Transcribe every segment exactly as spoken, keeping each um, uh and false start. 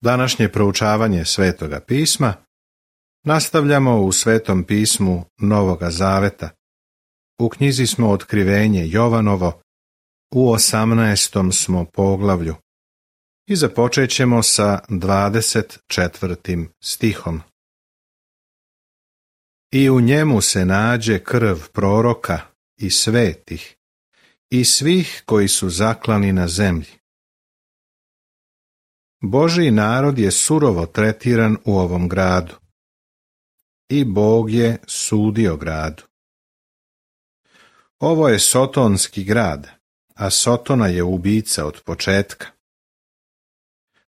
Današnje proučavanje Svetoga pisma nastavljamo u Svetom pismu Novoga Zaveta. U knjizi smo Otkrivenje Jovanovo, u osamnaestom smo poglavlju i započet ćemo sa dvadeset četvrtim stihom. I u njemu se nađe krv proroka i svetih i svih koji su zaklani na zemlji. Božji narod je surovo tretiran u ovom gradu i Bog je sudio gradu. Ovo je sotonski grad, a Sotona je ubica od početka.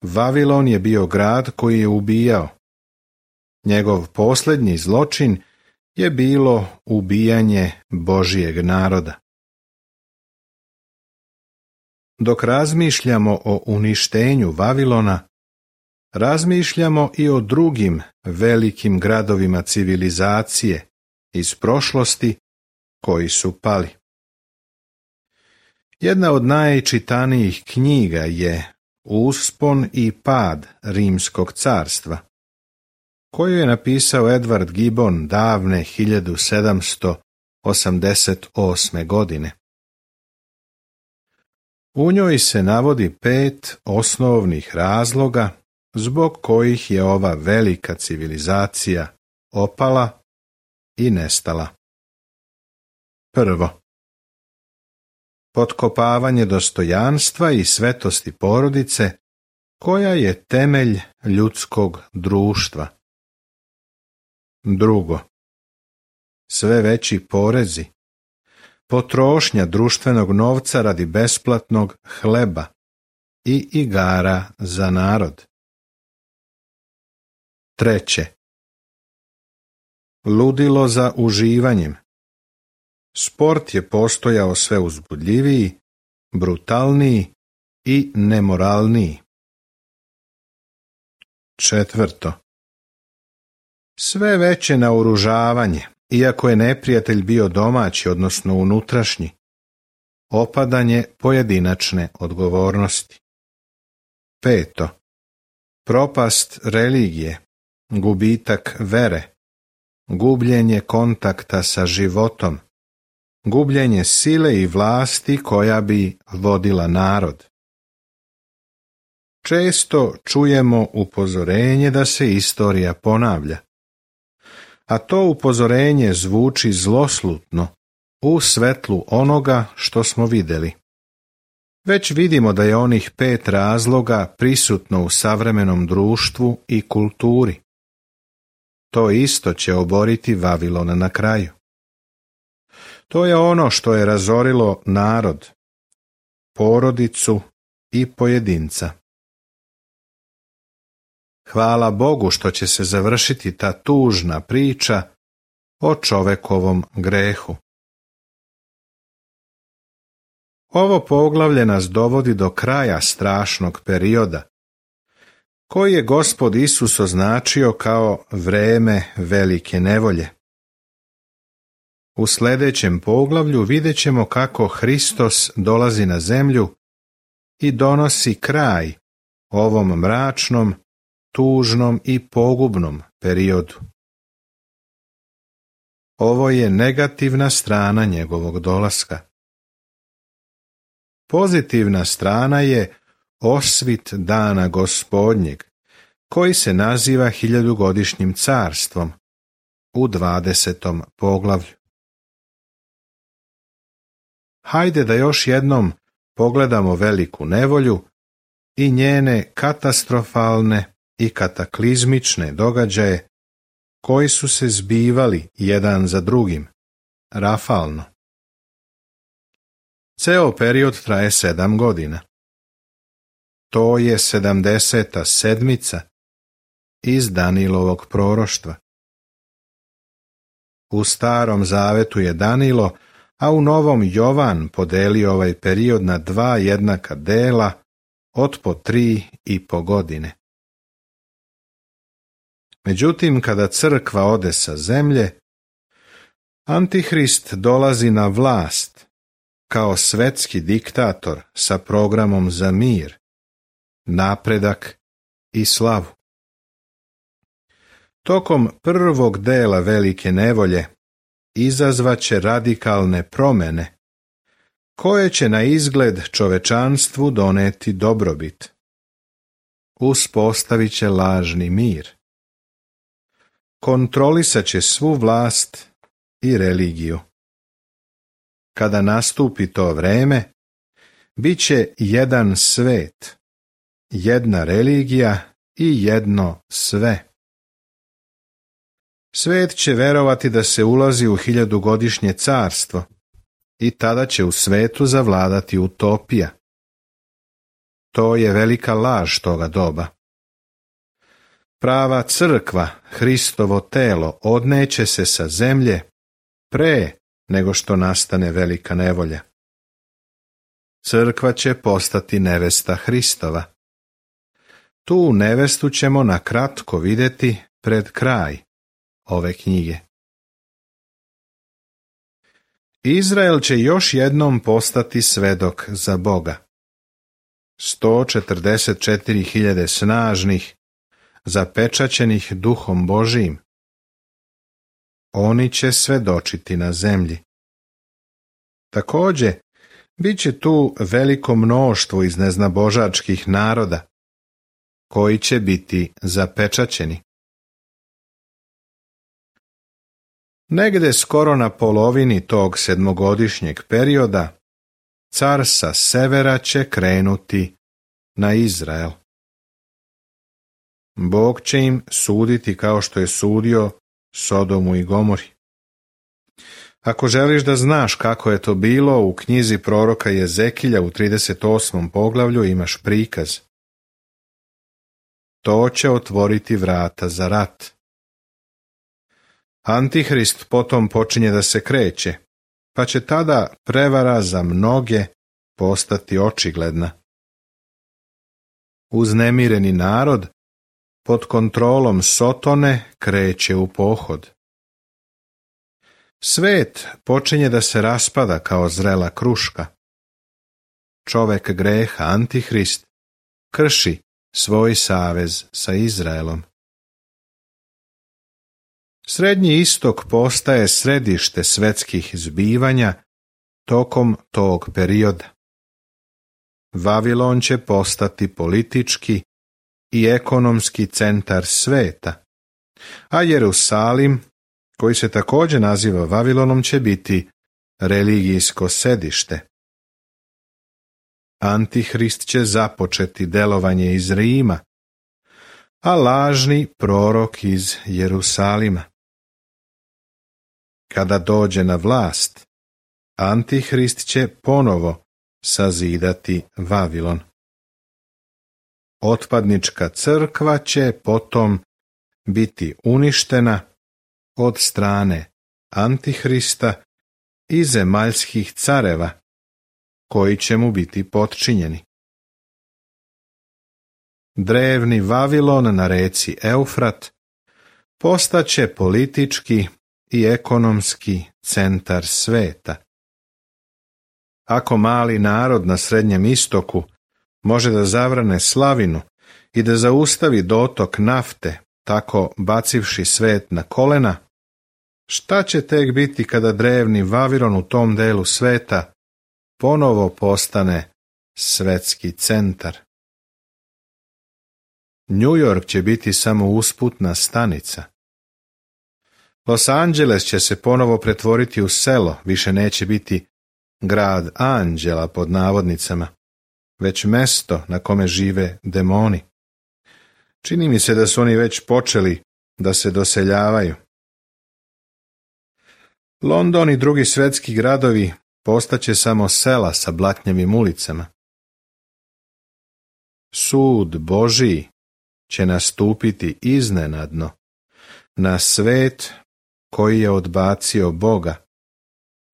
Vavilon je bio grad koji je ubijao. Njegov posljednji zločin je bilo ubijanje Božjeg naroda. Dok razmišljamo o uništenju Vavilona, razmišljamo i o drugim velikim gradovima civilizacije iz prošlosti koji su pali. Jedna od najčitanijih knjiga je Uspon i pad Rimskog carstva, koju je napisao Edward Gibbon davne hiljadu sedamsto osamdeset osme. godine. U njoj se navodi pet osnovnih razloga zbog kojih je ova velika civilizacija opala i nestala. Prvo, potkopavanje dostojanstva i svetosti porodice, koja je temelj ljudskog društva. Drugo, sve veći porezi, potrošnja društvenog novca radi besplatnog hleba i igara za narod. Treće, ludilo za uživanjem. Sport je postojao sve uzbudljiviji, brutalniji i nemoralniji. Četvrto, sve veće naoružavanje, iako je neprijatelj bio domaći, odnosno unutrašnji, opadanje pojedinačne odgovornosti. Peto, propast religije, gubitak vere, gubljenje kontakta sa životom, gubljenje sile i vlasti koja bi vodila narod. Često čujemo upozorenje da se istorija ponavlja, a to upozorenje zvuči zloslutno u svetlu onoga što smo vidjeli. Već vidimo da je onih pet razloga prisutno u savremenom društvu i kulturi. To isto će oboriti Vavilon na kraju. To je ono što je razorilo narod, porodicu i pojedinca. Hvala Bogu što će se završiti ta tužna priča o čovekovom grehu. Ovo poglavlje nas dovodi do kraja strašnog perioda, koji je Gospod Isus označio kao vreme velike nevolje. U sljedećem poglavlju vidjet ćemo kako Hristos dolazi na zemlju i donosi kraj ovom mračnom, tužnom i pogubnom periodu. Ovo je negativna strana njegovog dolaska. Pozitivna strana je osvit dana Gospodnjeg, koji se naziva hiljadugodišnjim carstvom, u dvadesetom poglavlju. Hajde da još jednom pogledamo veliku nevolju i njene katastrofalne i kataklizmične događaje koji su se zbivali jedan za drugim, rafalno. Ceo period traje sedam godina. To je sedamdeseta sedmica iz Danilovog proroštva. U Starom Zavetu je Danilo, a u Novom Jovan podelio ovaj period na dva jednaka dela od po tri i po godine. Međutim, kada crkva ode sa zemlje, Antihrist dolazi na vlast kao svetski diktator sa programom za mir, napredak i slavu. Tokom prvog dela velike nevolje izazvaće radikalne promjene, koje će na izgled čovečanstvu doneti dobrobit. Uspostavit će lažni mir. Kontrolisat će svu vlast i religiju. Kada nastupi to vreme, bit će jedan svet, jedna religija i jedno sve. Svet će verovati da se ulazi u hiljadugodišnje carstvo i tada će u svetu zavladati utopija. To je velika laž toga doba. Prava crkva, Hristovo telo, odneće se sa zemlje pre nego što nastane velika nevolja. Crkva će postati nevesta Hristova. Tu nevestu ćemo na kratko vidjeti pred kraj ove knjige. Izrael će još jednom postati svedok za Boga. sto četrdeset četiri hiljade snažnih, zapečaćenih duhom Božijim. Oni će svedočiti na zemlji. Također, bit će tu veliko mnoštvo iz neznabožačkih naroda, koji će biti zapečaćeni. Negde skoro na polovini tog sedmogodišnjeg perioda, car sa severa će krenuti na Izrael. Bog će im suditi kao što je sudio Sodomu i Gomori. Ako želiš da znaš kako je to bilo, u knjizi proroka Jezekilja u trideset osmom poglavlju imaš prikaz. To će otvoriti vrata za rat. Antihrist potom počinje da se kreće, pa će tada prevara za mnoge postati očigledna. Uznemireni narod pod kontrolom Sotone kreće u pohod. Svet počinje da se raspada kao zrela kruška. Čovek greha, Antihrist, krši svoj savez sa Izraelom. Srednji istok postaje središte svetskih zbivanja tokom tog perioda. Vavilon će postati politički i ekonomski centar sveta, a Jerusalim, koji se također naziva Vavilonom, će biti religijsko sedište. Antihrist će započeti delovanje iz Rima, a lažni prorok iz Jerusalima. Kada dođe na vlast, Antihrist će ponovo sazidati Vavilon. Otpadnička crkva će potom biti uništena od strane Antihrista i zemaljskih careva, koji će mu biti potčinjeni. Drevni Vavilon na reci Eufrat postaće politički i ekonomski centar sveta. Ako mali narod na Srednjem istoku može da zavrane slavinu i da zaustavi dotok nafte, tako bacivši svet na kolena, šta će tek biti kada drevni Vavilon u tom delu sveta ponovo postane svetski centar? New York će biti samo usputna stanica. Los Angeles će se ponovo pretvoriti u selo, više neće biti grad anđela pod navodnicama, već mesto na kome žive demoni. Čini mi se da su oni već počeli da se doseljavaju. London i drugi svetski gradovi postaće samo sela sa blatnjavim ulicama. Sud Božiji će nastupiti iznenadno na svet koji je odbacio Boga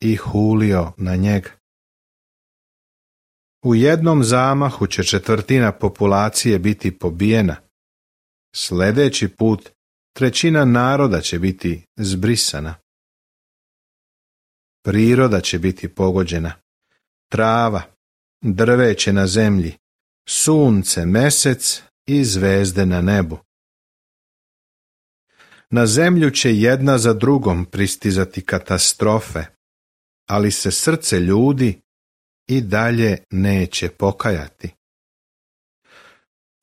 i hulio na njega. U jednom zamahu će četvrtina populacije biti pobijena. Sljedeći put trećina naroda će biti zbrisana. Priroda će biti pogođena. Trava, drveće na zemlji, sunce, mesec i zvezde na nebu. Na zemlju će jedna za drugom pristizati katastrofe, ali se srce ljudi i dalje neće pokajati.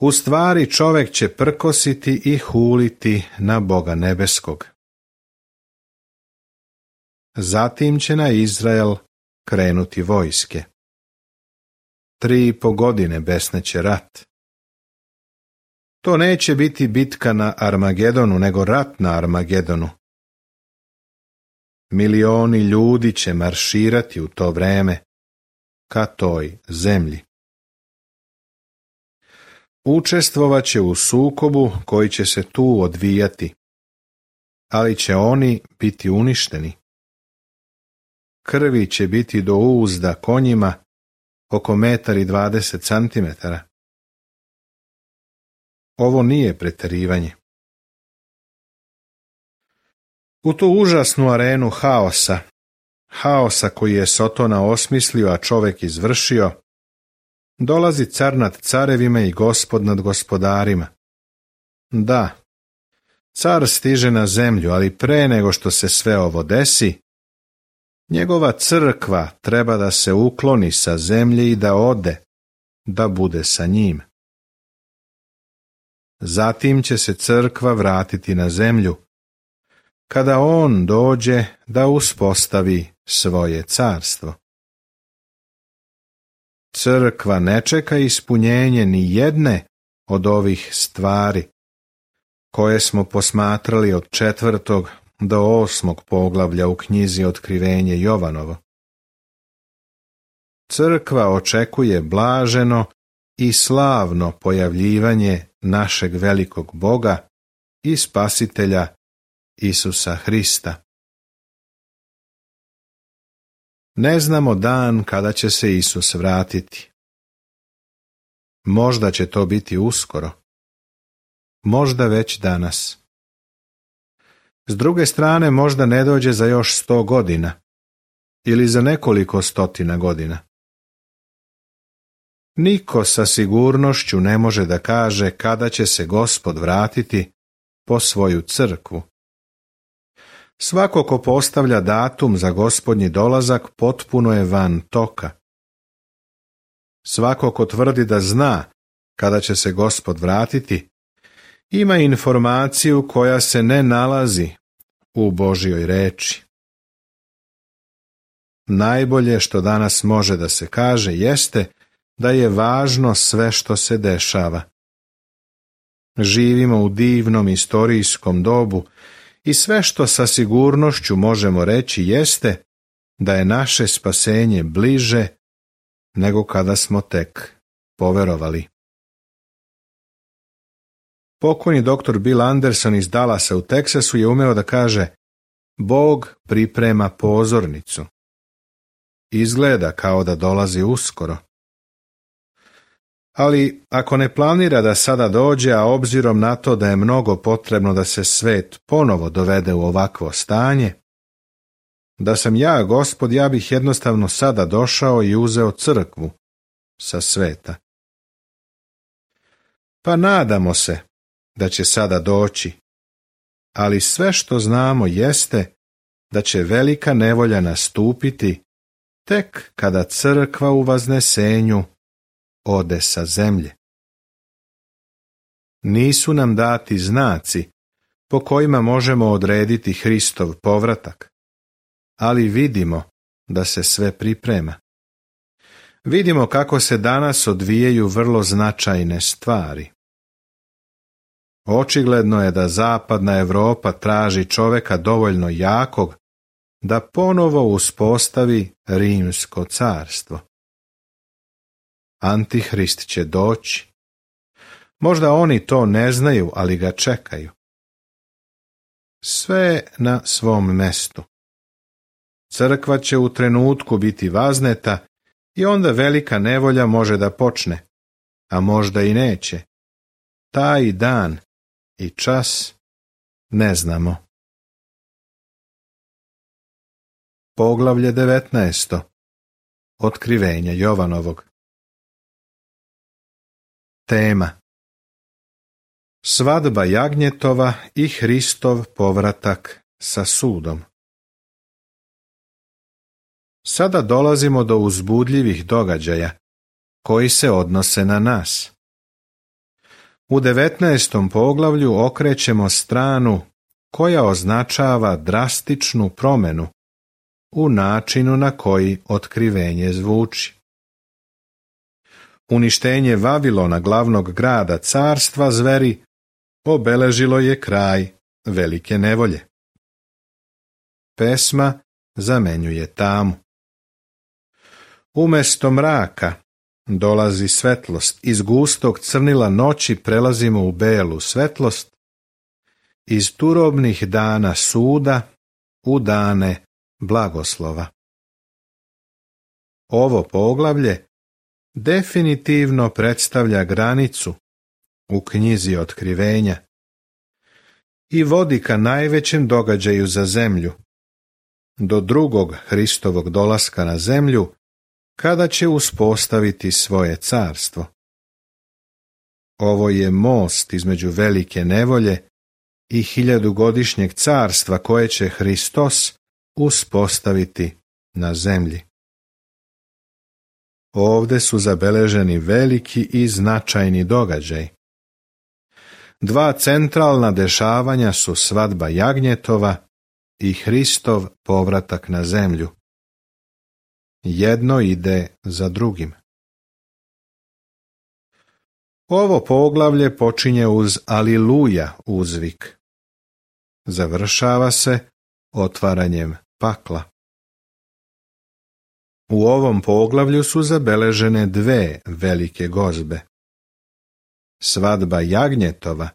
U stvari čovjek će prkositi i huliti na Boga nebeskog. Zatim će na Izrael krenuti vojske. Tri i po godine besneće rat. To neće biti bitka na Armagedonu, nego rat na Armagedonu. Milioni ljudi će marširati u to vreme ka toj zemlji. Učestvovaće u sukobu koji će se tu odvijati, ali će oni biti uništeni. Krvi će biti do uzda konjima oko metar i dvadeset centimetara. Ovo nije pretjerivanje. U tu užasnu arenu haosa, haosa koji je Sotona osmislio, a čovjek izvršio, dolazi car nad carevima i gospod nad gospodarima. Da, car stiže na zemlju, ali pre nego što se sve ovo desi, njegova crkva treba da se ukloni sa zemlje i da ode, da bude sa njim. Zatim će se crkva vratiti na zemlju, kada on dođe da uspostavi svoje carstvo. Crkva ne čeka ispunjenje ni jedne od ovih stvari, koje smo posmatrali od četvrtog do osmog poglavlja u knjizi Otkrivenje Jovanovo. Crkva očekuje blaženo i slavno pojavljivanje našeg velikog Boga i Spasitelja Isusa Hrista. Ne znamo dan kada će se Isus vratiti. Možda će to biti uskoro. Možda već danas. S druge strane, možda ne dođe za još sto godina ili za nekoliko stotina godina. Niko sa sigurnošću ne može da kaže kada će se Gospod vratiti po svoju crkvu. Svako ko postavlja datum za Gospodnji dolazak potpuno je van toka. Svako ko tvrdi da zna kada će se Gospod vratiti, ima informaciju koja se ne nalazi u Božjoj reči. Najbolje što danas može da se kaže jeste da je važno sve što se dešava. Živimo u divnom istorijskom dobu i sve što sa sigurnošću možemo reći jeste da je naše spasenje bliže nego kada smo tek poverovali. Pokojni doktor Bill Anderson iz Dallasa u Teksasu je umeo da kaže: Bog priprema pozornicu. Izgleda kao da dolazi uskoro. Ali ako ne planira da sada dođe, a obzirom na to da je mnogo potrebno da se svet ponovo dovede u ovakvo stanje, da sam ja, Gospod, ja bih jednostavno sada došao i uzeo crkvu sa sveta. Pa nadamo se da će sada doći, ali sve što znamo jeste da će velika nevolja nastupiti tek kada crkva u vaznesenju ode sa zemlje. Nisu nam dati znaci po kojima možemo odrediti Hristov povratak, ali vidimo da se sve priprema. Vidimo kako se danas odvijaju vrlo značajne stvari. Očigledno je da zapadna Europa traži čoveka dovoljno jakog da ponovo uspostavi Rimsko carstvo. Antihrist će doći. Možda oni to ne znaju, ali ga čekaju. Sve na svom mestu. Crkva će u trenutku biti vazneta i onda velika nevolja može da počne, a možda i neće. Taj dan i čas ne znamo. Poglavlje devetnaesto. Otkrivenje Jovanovog. Tema: Svadba jagnjetova i Hristov povratak sa sudom. Sada dolazimo do uzbudljivih događaja koji se odnose na nas. U devetnaestom poglavlju okrećemo stranu koja označava drastičnu promjenu u načinu na koji otkrivenje zvuči. Uništenje Vavilona, glavnog grada carstva zveri, obeležilo je kraj velike nevolje. Pesma zamenjuje tamu. Umjesto mraka dolazi svetlost, iz gustog crnila noći prelazimo u belu svetlost, iz turobnih dana suda u dane blagoslova. Ovo poglavlje definitivno predstavlja granicu u knjizi otkrivenja i vodi ka najvećem događaju za zemlju, do drugog Hristovog dolaska na zemlju, kada će uspostaviti svoje carstvo. Ovo je most između velike nevolje i hiljadugodišnjeg carstva koje će Hristos uspostaviti na zemlji. Ovde su zabeleženi veliki i značajni događaj. Dva centralna dešavanja su svadba jagnjetova i Hristov povratak na zemlju. Jedno ide za drugim. Ovo poglavlje počinje uz Aliluja uzvik. Završava se otvaranjem pakla. U ovom poglavlju su zabeležene dve velike gozbe. Svadba jagnjetova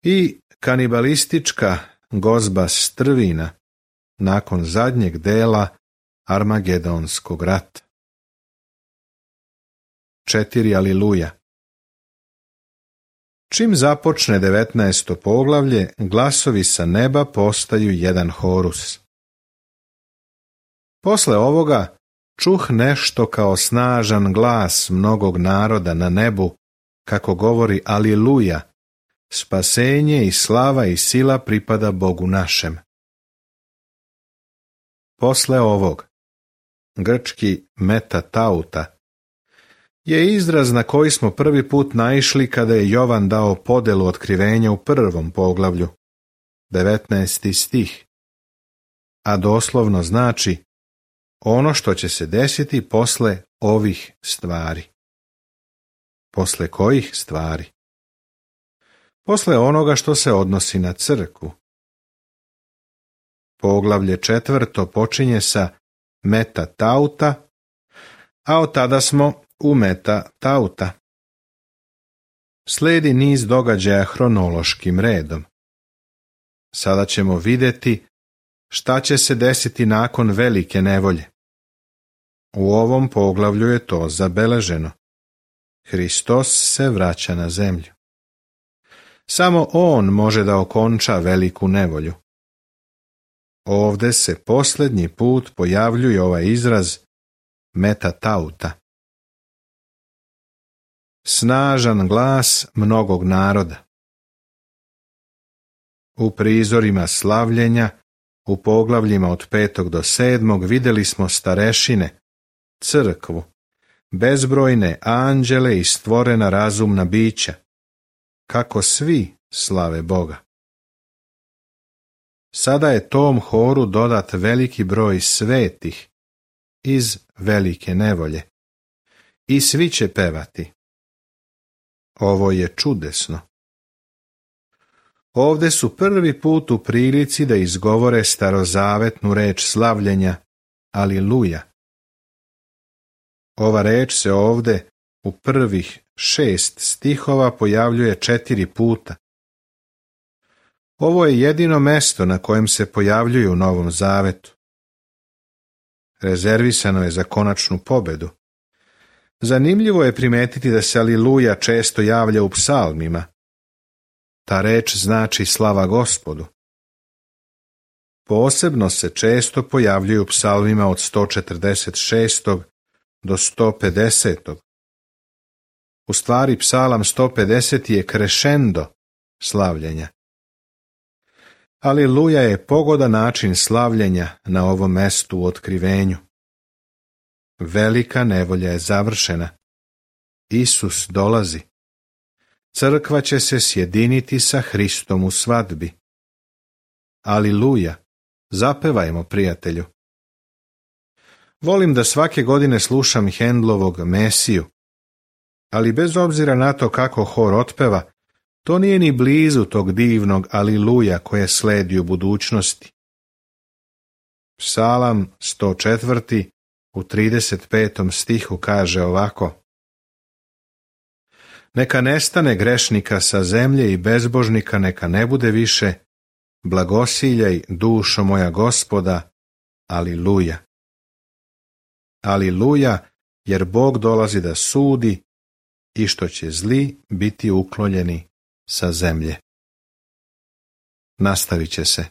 i kanibalistička gozba strvina nakon zadnjeg dela Armagedonskog rata. Četiri Aliluja. Čim započne devetnaesto poglavlje, glasovi sa neba postaju jedan horus. Posle ovoga čuh nešto kao snažan glas mnogog naroda na nebu, kako govori Aliluja, spasenje i slava i sila pripada Bogu našem. Posle ovog, grčki metatauta, je izraz na koji smo prvi put naišli kada je Jovan dao podelu otkrivenja u prvom poglavlju, devetnaesti stih, a doslovno znači ono što će se desiti posle ovih stvari. Posle kojih stvari? Posle onoga što se odnosi na crkvu. Poglavlje četvrto počinje sa metatauta, a od tada smo u metatauta. Slijedi niz događaja hronološkim redom. Sada ćemo vidjeti šta će se desiti nakon velike nevolje. U ovom poglavlju je to zabeleženo. Hristos se vraća na zemlju. Samo on može da okonča veliku nevolju. Ovde se posljednji put pojavljuje ovaj izraz metatauta. Snažan glas mnogog naroda. U prizorima slavljenja, u poglavljima od petog do sedmog vidjeli smo starešine, crkvu, bezbrojne anđele i stvorena razumna bića, kako svi slave Boga. Sada je tom horu dodat veliki broj svetih iz velike nevolje i svi će pevati. Ovo je čudesno. Ovde su prvi put u prilici da izgovore starozavetnu reč slavljenja, Aliluja. Ova reč se ovde u prvih šest stihova pojavljuje četiri puta. Ovo je jedino mesto na kojem se pojavljuje u Novom Zavetu. Rezervisano je za konačnu pobedu. Zanimljivo je primetiti da se Aliluja često javlja u psalmima. Ta reč znači slava Gospodu. Posebno se često pojavljuju u psalmima od sto četrdeset šestog do sto pedesetog U stvari, psalam sto pedeset je krešendo slavljenja. Aliluja je pogodan način slavljenja na ovom mestu u otkrivenju. Velika nevolja je završena. Isus dolazi. Crkva će se sjediniti sa Hristom u svadbi. Aliluja, zapevajmo, prijatelju. Volim da svake godine slušam Handlovog Mesiju, ali bez obzira na to kako hor otpeva, to nije ni blizu tog divnog aliluja koje sledi u budućnosti. Psalam sto četvrti u trideset petom stihu kaže ovako: Neka nestane grešnika sa zemlje i bezbožnika neka ne bude više, blagosiljaj dušo moja Gospoda, aliluja. Aliluja, jer Bog dolazi da sudi i što će zli biti uklonjeni sa zemlje. Nastavit će se.